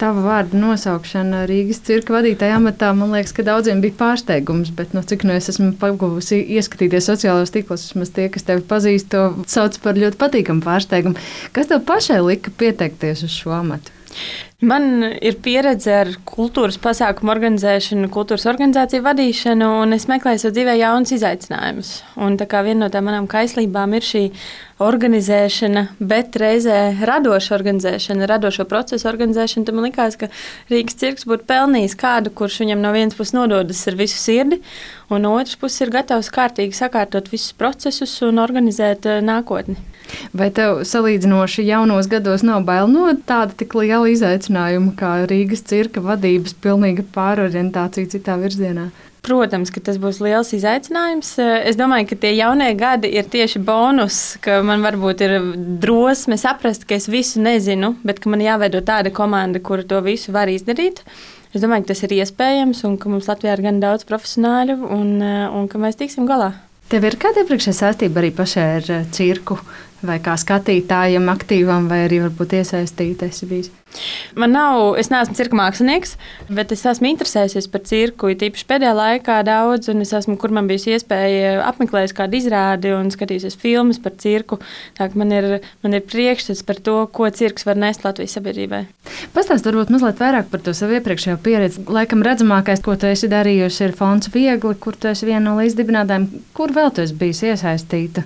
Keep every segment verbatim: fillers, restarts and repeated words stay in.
tava vārda nosaukšana Rīgas cirka vadītāja amatā, man liekas, ka daudziem bija pārsteigums, bet no cik nu es esmu pagūvusi ieskatīties sociālajos tīklos, vismaz tie, kas tevi pazīst, to sauc par ļoti patīkamu pārsteigumu. Kas tev pašai lika pieteikties uz šo amatu? Man ir pieredze ar kultūras pasākumu organizēšanu, kultūras organizāciju vadīšanu, un es meklēju sev dzīvē jaunus izaicinājumus. Un tā kā viena no tām manām kaislībām ir šī organizēšana, bet reizē radoša organizēšana, radošo procesu organizēšana, tad man likās, ka Rīgas cirks būtu pelnījis kādu, kurš viņam no vienas puses nododas ar visu sirdi, un no otras puses ir gatavs kārtīgi sakārtot visus procesus un organizēt nākotni. Vai tev salīdzinoši jaunos gados nav bail no tāda tik liela izaicinājuma kā Rīgas cirka vadības pilnīga pārorientācija citā virzienā? Protams, ka tas būs liels izaicinājums. Es domāju, ka tie jaunie gadi ir tieši bonus, ka man varbūt ir drosme saprast, ka es visu nezinu, bet ka man jāveido tāda komanda, kura to visu var izdarīt. Es domāju, ka tas ir iespējams un ka mums Latvijā ir gan daudz profesionāļu un, un ka mēs tiksim galā. Tev ir kāda iepriekšējā saistība arī pašai ar cirku, vai kā skatītājam, aktīvam, vai arī varbūt iesaistīta esi bijis? Man nav, es neesmu cirka mākslinieks, bet es esmu interesējusies par cirku, tīpaši pēdējā laikā daudz, un es esmu, kur man bijusi iespēja apmeklēt kādu izrādi un skatījusies filmas par cirku. Tā ka man ir, man ir priekšstats par to, ko cirks var nest Latvijas sabiedrībai. Pastāst varbūt mazliet vairāk par to savu iepriekšējo pieredzi. Laikam redzamākais, ko tu esi darījusi, ir Fonds Viegli, kur tu esi viena no līdzdibinātājiem. Kur vēl tu esi bijis iesaistīta?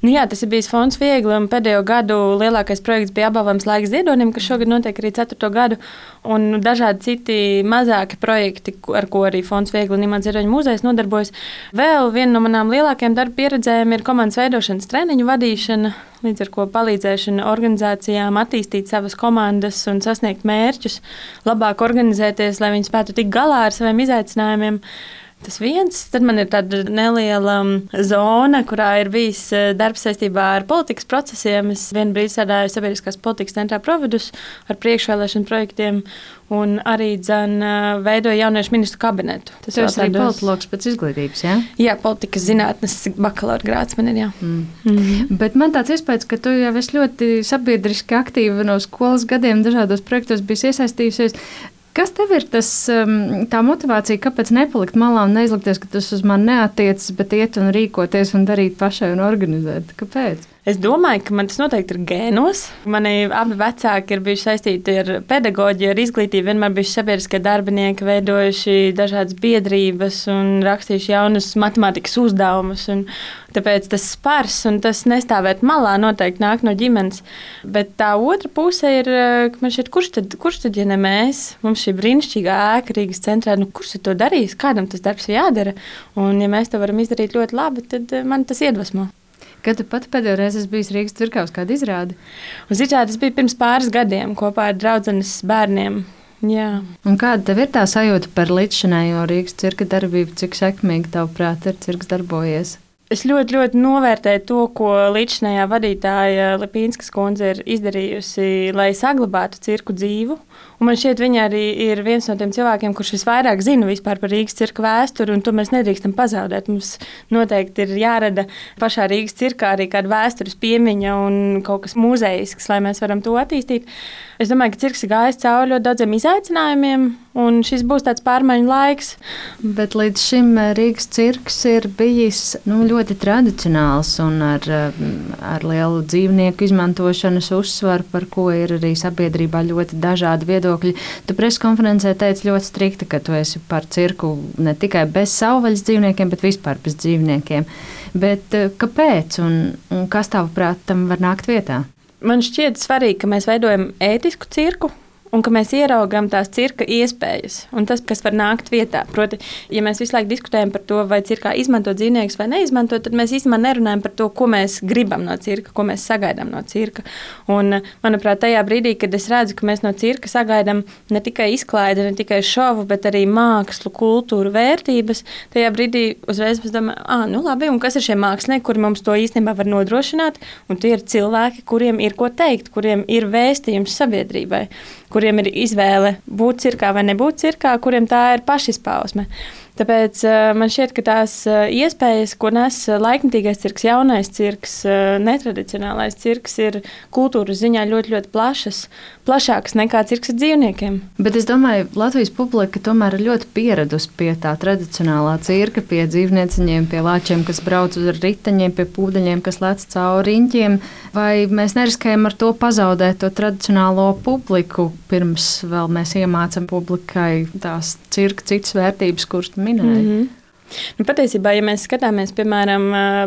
Nu jā, tas ir bijis Fonds Viegli, un pēdējo gadu lielākais projekts bija apbalvojums Laiks ziedonim, kas šogad notiek arī ceturto gadu, un dažādi citi mazāki projekti, ar ko arī Fonds Viegli un Imants Ziedoņa muzejs nodarbojas. Vēl viena no manām lielākajām darba pieredzēm ir komandas veidošanas treniņu vadīšana, līdz ar ko palīdzēšana organizācijām attīstīt savas komandas un sasniegt mērķus, labāk organizēties, lai viņi spētu tikt galā ar saviem izaicinājumiem. Tas viens, tad man ir tāda neliela zona, kurā ir bijis darbs saistībā ar politikas procesiem. Es vienu brīdi strādāju Sabiedriskās politikas centrā Providus ar priekšvēlēšanu projektiem un arī dzen veidoju jauniešu ministru kabinetu. Tas ir arī politologs pēc izglītības, jā? Jā, politikas zinātnes bakalaura grāds man ir, jā. Mm. Mm. Bet man tāds iespējas, ka tu jau esi ļoti sabiedriski aktīva no skolas gadiem dažādos projektos bijis iesaistījusies. Kas tev ir tas, tā motivācija, kāpēc nepalikt malā un neizlikties, ka tas uz mani neatiecas, bet iet un rīkoties un darīt pašai un organizēt? Kāpēc? Es domāju, ka man tas noteikti ir gēnos. Mani abi vecāki ir bijuši saistīti ar pedagoģiju, ar izglītību, vienmēr bijuši sabiedriskie darbinieki, veidojuši dažādas biedrības un rakstījuši jaunus matemātikas uzdevumus. Un tāpēc tas spars un tas nestāvēt malā noteikti nāk no ģimenes. Bet tā otra puse ir, ka man šķiet, kurš tad, kurš tad, ja ne mēs, mums šī brīnišķīgā ēka Rīgas centrā, nu kurš tad to darīs, kādam tas darbs ir jādara? Un ja mēs to varam izdarīt ļoti labi, tad man tas iedvesmo. Kad tu pati pēdējo reizi esi bijis Rīgas cirkā uz kādu izrādi? Uz izrādi es biju pirms pāris gadiem kopā ar draudzenes bērniem. Jā. Un kāda tev ir tā sajūta par līdzšinējo Rīgas cirka darbību? Cik sekmīgi tavuprāt ir cirks darbojies? Es ļoti, ļoti novērtēju to, ko līdzšinējā vadītāja Lipīnskas kundze ir izdarījusi, lai saglabātu cirku dzīvu. Un man šķiet, viņa arī ir viens no tiem cilvēkiem, kurš visvairāk zina vispār par Rīgas cirka vēsturi, un to mēs nedrīkstam pazaudēt. Mums noteikti ir jārada pašā Rīgas cirkā arī kāda vēstures piemiņa un kaut kas muzejisks, lai mēs varam to attīstīt. Es domāju, ka cirks ir gājis cauri ļoti daudziem izaicinājumiem, un šis būs tāds pārmaiņu laiks. Bet līdz šim Rīgas cirks ir bijis nu, ļoti tradicionāls un ar, ar lielu dzīvnieku izmantošanas uzsvaru, par ko ir arī sabiedrībā ļoti dažādi viedokļi. Tu preskonferencē teici ļoti strikti, ka tu esi par cirku ne tikai bez savvaļas dzīvniekiem, bet vispār bez dzīvniekiem. Bet kāpēc un, un kas tavuprāt tam var nākt vietā? Man šķiet svarīgi, ka mēs veidojam ētisku cirku un ka mēs ieraugam tās cirka iespējas un tas, kas var nākt vietā. Proti, ja mēs visu laiku diskutējam par to, vai cirkā izmanto dzīvniekus vai neizmanto, tad mēs īstenībā nerunājam par to, ko mēs gribam no cirka, ko mēs sagaidām no cirka. Un, manuprāt, tajā brīdī, kad es redzu, ka mēs no cirka sagaidām ne tikai izklaidi, ne tikai šovu, bet arī mākslu, kultūru, vērtības, tajā brīdī uzreiz es domāju, ah, nu labi, un kas ir šie mākslinieki, kuri mums to īstenībā var nodrošināt, un tie ir cilvēki, kuriem ir ko teikt, kuriem ir vēstījums sabiedrībai, kuriem ir izvēle būt cirkā vai nebūt cirkā, kuriem tā ir pašizpausme. Tāpēc man šķiet, ka tās iespējas, ko nes laikmetīgais cirks, jaunais cirks, netradicionālais cirks, ir kultūras ziņā ļoti, ļoti plašas, plašākas nekā cirks ar dzīvniekiem. Bet es domāju, Latvijas publika tomēr ir ļoti pieradusi pie tā tradicionālā cirka, pie dzīvnieciņiem, pie lāčiem, kas brauc uz riteņiem, pie pūdeņiem, kas lec cauri riņķiem. Vai mēs neriskējam ar to pazaudēt to tradicionālo publiku, pirms vēl mēs iemācam publikai tās cirka citas vērtības, kuras minēja? Mm-hmm. Nu, patiesībā, ja mēs skatāmies, piemēram,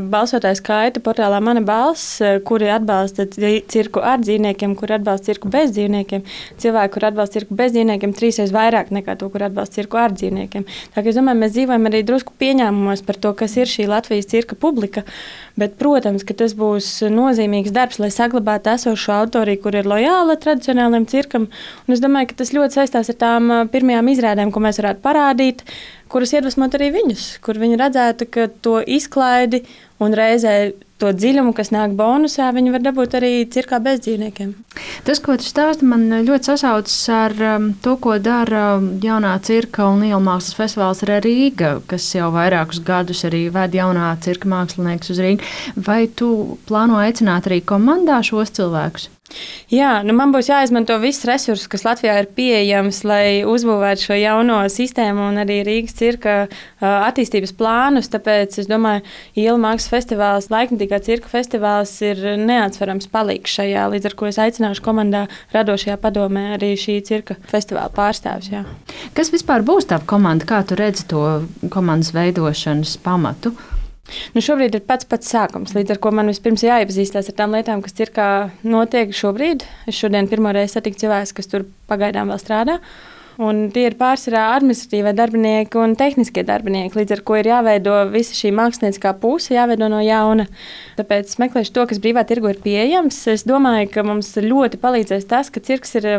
balsotāju skaita portālā Mana balss, kuri atbalsta cirku ar dzīvniekiem, kuri atbalsta cirku bez dzīvniekiem, cilvēki, kuri atbalsta cirku bez dzīvniekiem, trīsreiz vairāk nekā to, kur atbalsta cirku ar dzīvniekiem. Tā kā es domāju, mēs dzīvojam arī drusku pieņēmumos par to, kas ir šī Latvijas cirka publika, bet, protams, ka tas būs nozīmīgs darbs, lai saglabātu esošo autoriju, kur ir lojāla tradicionālajam cirkam, un es domāju, ka tas ļoti saistās ar tām pirmajām izrādēm, ko mēs varētu parādīt, kuras iedvesmot arī viņus, kur viņi redzētu, ka to izklaidi un reizē to dziļumu, kas nāk bonusā, viņi var dabūt arī cirkā bez dzīvniekiem. Tas, ko tu stāsti, man ļoti sasaucas ar um, to, ko dara jaunā cirka un liela mākslas festivāls Rīga, kas jau vairākus gadus arī ved jaunā cirka māksliniekus uz Rīgu. Vai tu plāno aicināt arī komandā šos cilvēkus? Jā, nu man būs jāizmanto viss resurss, kas Latvijā ir pieejams, lai uzbūvētu šo jauno sistēmu un arī Rīgas cirka attīstības plānus. Tāpēc es domāju, Iela mākslas festivāls, laikmetīgā cirka festivāls ir neatsverams palīgs šajā, līdz ar ko es aicināšu komandā radošajā padomē arī šī cirka festivāla pārstāvs. Jā. Kas vispār būs tā komanda? Kā tu redzi to komandas veidošanas pamatu? Nu, šobrīd ir pats pats sākums, līdz ar ko man vispirms jāiepazīstās ar tām lietām, kas cirkā notiek šobrīd. Es šodien pirmo reizi satiku cilvēkus, kas tur pagaidām vēl strādā. Un tie ir pārsvarā administratīvie darbinieki un tehniskie darbinieki, līdz ar ko ir jāveido visa šī mākslinieckā puse, jāveido no jauna. Tāpēc meklēšu to, kas brīvā tirgu ir pieejams. Es domāju, ka mums ļoti palīdzēs tas, ka cirks ir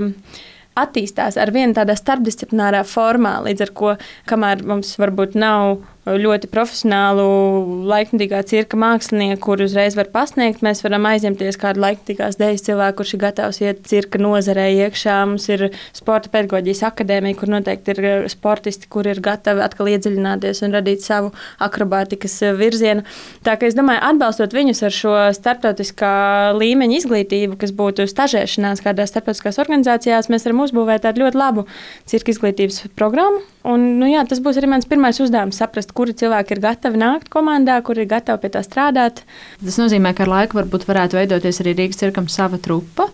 attīstās ar vienu tādā starpdisciplinārā formā, līdz ar ko, kamēr mums varbūt nav ļoti profesionālu laikmetīgā cirka mākslinieku, kur uzreiz var pasniegt. Mēs varam aizņemties kādu laikmetīgās dēļas cilvēku, kurš ir gatavs iet cirka nozarē iekšā. Mums ir sporta pedagoģijas akadēmija, kur noteikti ir sportisti, kur ir gatavi atkal iedziļināties un radīt savu akrobātikas virzienu. Tā kā es domāju, atbalstot viņus ar šo starptautiskā līmeņa izglītību, kas būtu stažēšanās kādās starptautiskās organizācijās, mēs varam uzbūvēt tādu ļoti labu cirka izglītības programmu. Un, nu jā, tas būs arī mans pirmais uzdevums, saprast, kuri cilvēki ir gatavi nākt komandā, kuri ir gatavi pie tā strādāt. Tas nozīmē, ka ar laiku varbūt varētu veidoties arī Rīgas cirkam sava trupa.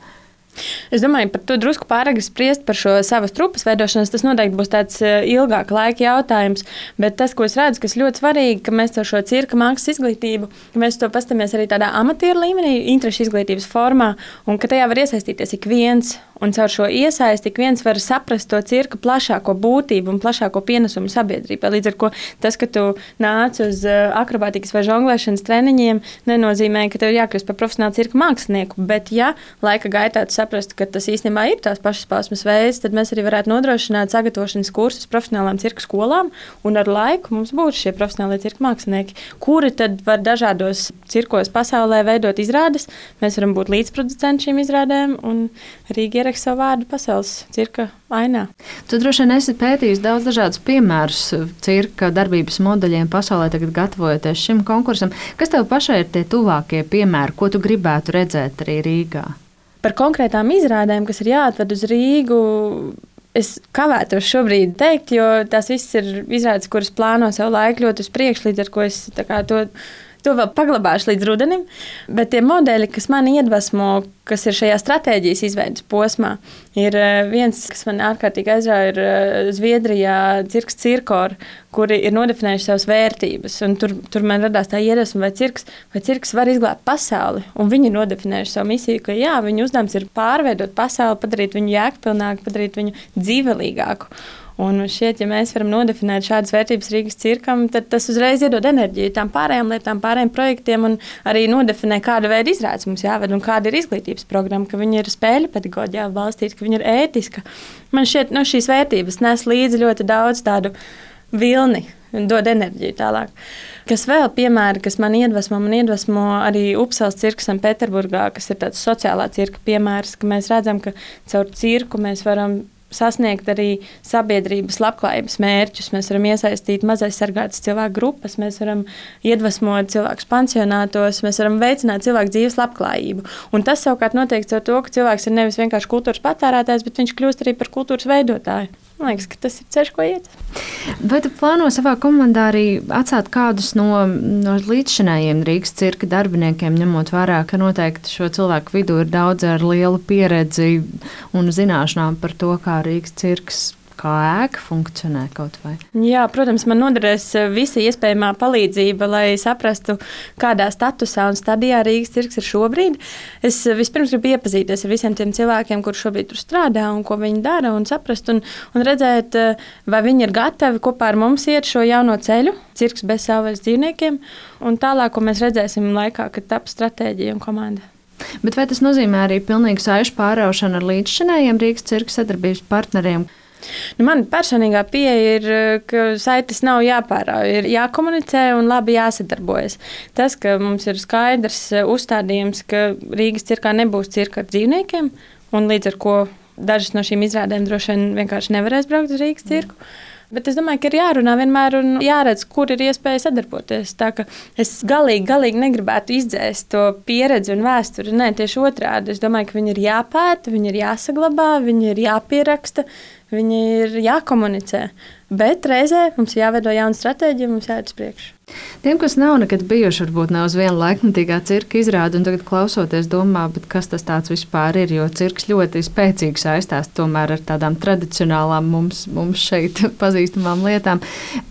Es domāju, par to drusku pāragri spriest par šo savas trupas veidošanas. Tas noteikti būs tāds ilgāka laika jautājums. Bet tas, ko es redzu, kas ļoti svarīgi, ka mēs ar šo cirka mākslas izglītību, mēs to pastamies arī tādā amatieru līmenī, interešu izglītības formā, un ka tajā var iesaistīties ik viens. Un caur šo iesaisti ik viens var saprast to cirka plašāko būtību un plašāko pienesumu sabiedrībā. Līdz ar ko tas, ka tu nāc uz akrobātikas vai žonglēšanas treniņiem, nenozīmē, ka tev jākļūst par profesionālu cirka mākslinieku. Bet, ja laika gaitā tu saprastu, ka tas īstenībā ir tās pašas pausmes veids, tad mēs arī varētu nodrošināt sagatavošanas kursus profesionālām cirka skolām. Un ar laiku mums būs šie profesionālie cirka mākslinieki, kuri tad var dažādos cirkos pasaulē veidot izrādes. Mēs varam būt līdzproducenti šīm izrādēm un Rīga ierakst savu vārdu pasaules cirka ainā. Tu droši vien esi pētījis daudz dažādus piemērus cirka darbības modeļiem pasaulē, tagad gatavojoties šim konkursam. Kas tev pašai ir tie tuvākie piemēri, ko tu gribētu redzēt arī Rīgā? Par konkrētām izrādēm, kas ir jāatved uz Rīgu, es kavētos šobrīd teikt, jo tās viss ir izrādes, kuras plāno savu laiku ļoti uz priekšu, līdz ar ko es tā kā to... To vēl paglabāšu līdz rudenim, bet tie modeļi, kas mani iedvesmo, kas ir šajā stratēģijas izveidas posmā, ir viens, kas man ārkārtīgi aizrauja, ir Zviedrijā cirks Cirkor, kuri ir nodefinējuši savas vērtības. Un tur, tur man radās tā iedvesma, vai cirks, vai cirks var izglābt pasauli. Un viņi ir nodefinējuši savu misiju, ka jā, viņu uzdevums ir pārveidot pasauli, padarīt viņu jēgpilnāku, padarīt viņu dzīvelīgāku. Un šeit, ja mēs varam nodefinēt šādas vērtības Rīgas cirkam, tad tas uzreiz iedod enerģiju tām pārējām lietām, pārējiem projektiem un arī nodefinē, kāda veida izrādes mums jāved un kāda ir izglītības programma, ka viņi ir spēļu pedagoģijā balstīti, ka viņi ir ētiska. Man šķiet, no šīs vērtības nes līdzi ļoti daudz tādu vilni un dod enerģiju tālāk. Kas vēl piemēri, kas man iedvesmo, man iedvesmo arī Upsalas cirks Sanktpēterburgā, kas ir tāds sociālā cirka piemērs, ka mēs redzam, ka caur cirku mēs varam sasniegt arī sabiedrības labklājības mērķus. Mēs varam iesaistīt mazaizsargātas cilvēku grupas, mēs varam iedvesmot cilvēkus pansionātos, mēs varam veicināt cilvēku dzīves labklājību. Un tas savukārt notiek ar to, ka cilvēks ir nevis vienkārši kultūras patērētājs, bet viņš kļūst arī par kultūras veidotāju. Man liekas, ka tas ir ceļš, ko iet. Vai tu plāno savā komandā arī atstāt kādus no, no līdzšinējiem Rīgas cirka darbiniekiem, ņemot vērā, ka noteikti šo cilvēku vidū ir daudz ar lielu pieredzi un zināšanām par to, kā Rīgas cirks kā ēka funkcionē kaut vai? Jā, protams, man noderēs visa iespējamā palīdzība, lai saprastu, kādā statusā un stadijā Rīgas cirks ir šobrīd. Es vispirms gribu iepazīties ar visiem tiem cilvēkiem, kur šobrīd tur strādā un ko viņi dara, un saprast un, un redzēt, vai viņi ir gatavi kopā ar mums iet šo jauno ceļu, cirks bez savvaļas dzīvniekiem, un tālāk, ko mēs redzēsim laikā, kad taps stratēģija un komanda. Bet vai tas nozīmē arī pilnīgu saišu pāraušanu ar līdzšinējiem Rīgas cirka sadarbības partneriem? Nu, man personīgā pieeja ir, ka saites nav jāpārauj, ir jākomunicē un labi jāsadarbojas. Tas, ka mums ir skaidrs uzstādījums, ka Rīgas cirkā nebūs cirka ar dzīvniekiem, un līdz ar ko dažas no šīm izrādēm droši vien vienkārši nevarēs braukt uz Rīgas cirku. Bet es domāju, ka ir jārunā vienmēr un jāredz, kur ir iespēja sadarboties. Tā ka es galīgi, galīgi negribētu izdzēst to pieredzi un vēsturi. Nē, tieši otrādi. Es domāju, ka viņi ir jāpēta, viņi ir jāsaglabā, viņi ir jāpieraksta, viņi ir jākomunicē. Bet reizē mums jāveido jauna stratēģija, mums jāiet uz priekšu. Tiem, kas nav nekad bijuši, varbūt nav uz vienu laikmatīgā cirka izrādi, un tagad klausoties domā, bet kas tas tāds vispār ir, jo cirks ļoti spēcīgi saistās tomēr ar tādām tradicionālām mums, mums šeit pazīstamām lietām.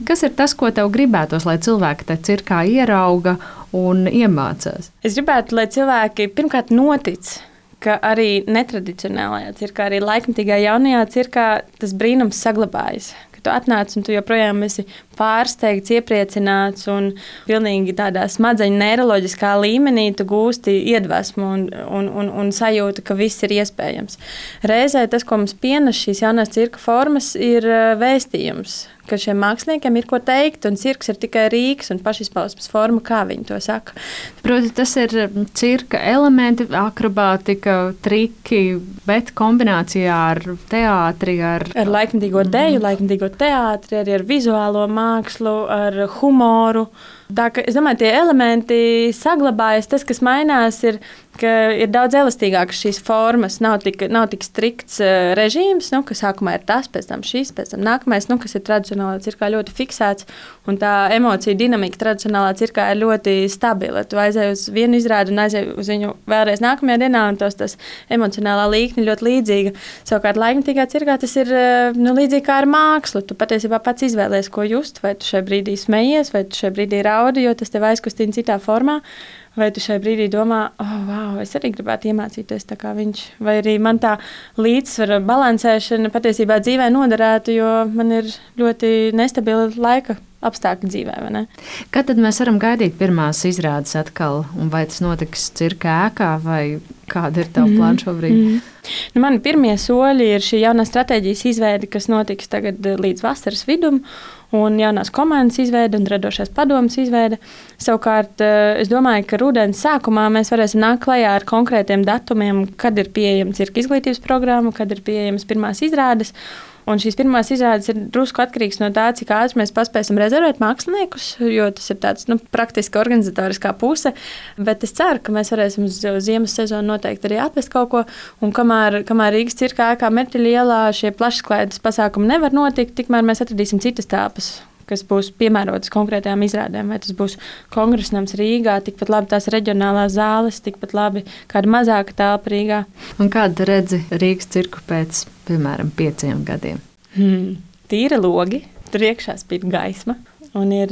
Kas ir tas, ko tev gribētos, lai cilvēki te cirkā ierauga un iemācās? Es gribētu, lai cilvēki pirmkārt notic, ka arī netradicionālajā cirkā, arī laikmatīgā jaunajā cirkā tas brīnums saglabājas. Tu atnāc un tu joprojām esi pārsteigts, iepriecināts un pilnīgi tādā smadzeņu neiroloģiskā līmenī tu gūsti iedvesmu un, un, un, un sajūtu, ka viss ir iespējams. Reizē tas, ko mums pienes šīs jaunās cirka formas, ir vēstījums, ka šiem māksliniekiem ir ko teikt, un cirks ir tikai rīks un pašizpausmes forma, kā viņi to saka. Proti, tas ir cirka elementi, akrobātika, triki, bet kombinācijā ar teātri, ar... Ar laikmatīgo deju, laikmatīgo teātri, arī ar vizuālo mākslu, ar humoru. Tā, ka, es domāju, tie elementi saglabājas. Tas, kas mainās, ir, ka ir daudz elastīgākas šīs formas. Nav tik, nav tik strikts uh, režīms, nu, ka sākumā ir tas, pēc tam šis, pēc tam nākamais, nu, kas ir tradicionālā cirkā ļoti fiksēts. Un tā emocija dinamika tradicionālā cirkā ir ļoti stabila. Tu aizēji uz vienu izrādi un aizēji uz viņu vēlreiz nākamajā dienā, un tos tas emocionālā līkne ļoti līdzīga. Savukārt laikmatīgā cirkā tas ir uh, nu, līdzīgi kā ar mākslu. Tu patiesībā pats izvēlies, ko just, vai tu šajā brīdī smejies, vai tu šajā brīdī raudi, jo tas tev aizkustina citā formā, vai tu šajā brīdī domā, oh, wow, es arī gribētu iemācīties tā kā viņš, vai arī man tā līdzsvara balansēšana patiesībā dzīvē noderētu, jo man ir ļoti nestabila laika apstākļi dzīvē, vai ne? Kad tad mēs varam gaidīt pirmās izrādes atkal, un vai tas notiks cirka ēkā, vai kāda ir tava mm-hmm. plāna šobrīd? Mm-hmm. Nu, mani pirmie soļi ir šī jaunā stratēģijas izveide, kas notiks tagad līdz vasaras vidum, un jaunās komandas izveide un radošās padomas izveide. Savukārt, es domāju, ka rudens sākumā mēs varēsim nākt klajā ar konkrētiem datumiem, kad ir pieejama cirka izglītības programma, kad ir pieejamas pirmās izrādes. Un šīs pirmās izrādes ir drusku atkarīgs no tā, cik ātri mēs paspēsim rezervēt māksliniekus, jo tas ir tāds nu, praktiski organizatoriskā puse. Bet es ceru, ka mēs varēsim uz ziemas sezonu noteikti arī atvest kaut ko. Un kamēr, kamēr Rīgas cirkā ēkā Merķeļa ielā šie plašsaklaides pasākumi nevar notikt, tikmēr mēs atradīsim citas telpas, kas būs piemērotas konkrētajām izrādēm. Vai tas būs kongresnams Rīgā, tikpat labi tās reģionālās zāles, tikpat labi kāda mazāka telpa Rīgā. Un kāda redzi Rīgas cirku pēc, piemēram, pieciem gadiem? Hmm. Tīra logi, tur iekšā spīd gaisma. Un ir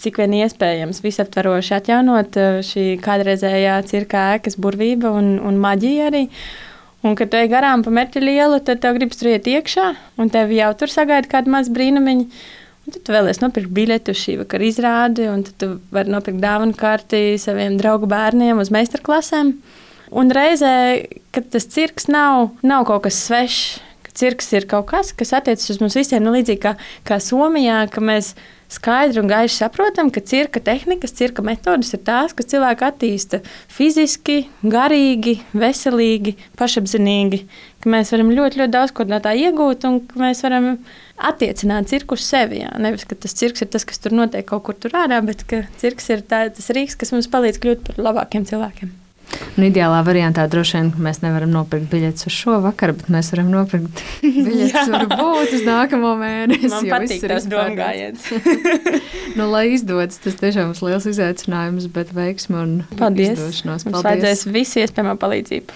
cik vien iespējams visaptveroši atjaunot šī kādreizējā cirka ēkas burvība un, un maģija arī. Un, kad tu ej garām pa Merķeļa ielu, tad tev gribas tur iet iekšā, un tev jau tur sagaida kāda maza brīnumiņa. Un tad tu vēlies nopirkt biļeti uz šī vakara izrādi, un tad tu vari nopirkt dāvanu karti saviem draugu bērniem uz meistarklasēm. Un reizē, kad tas cirks nav, nav kaut kas svešs, ka cirks ir kaut kas, kas attiecas uz mums visiem, nu līdzīgi kā, kā Somijā, ka mēs skaidri un gaiši saprotam, ka cirka tehnikas, cirka metodas ir tās, kas cilvēku attīsta fiziski, garīgi, veselīgi, pašapzinīgi, ka ka mēs varam ļoti, ļoti daudz ko no tā iegūt un ka mēs varam attiecināt cirku uz sevi. Jā. Nevis, ka tas cirks ir tas, kas tur notiek kaut kur tur ārā, bet ka cirks ir tā, tas rīks, kas mums palīdz kļūt par labākiem cilvēkiem. Un ideālā variantā droši vien mēs nevaram nopirkt biļetes uz šo vakaru, bet mēs varam nopirkt biļetes varbūt uz nākamo mēnesi. Man patīk tas domgājiens. Nu, lai izdodas, tas tiešām ir liels izaicinājums, bet veiksmi un Paldies. izdošanos. Paldies. Mums vajadzēs visu iespējamo palīdzību.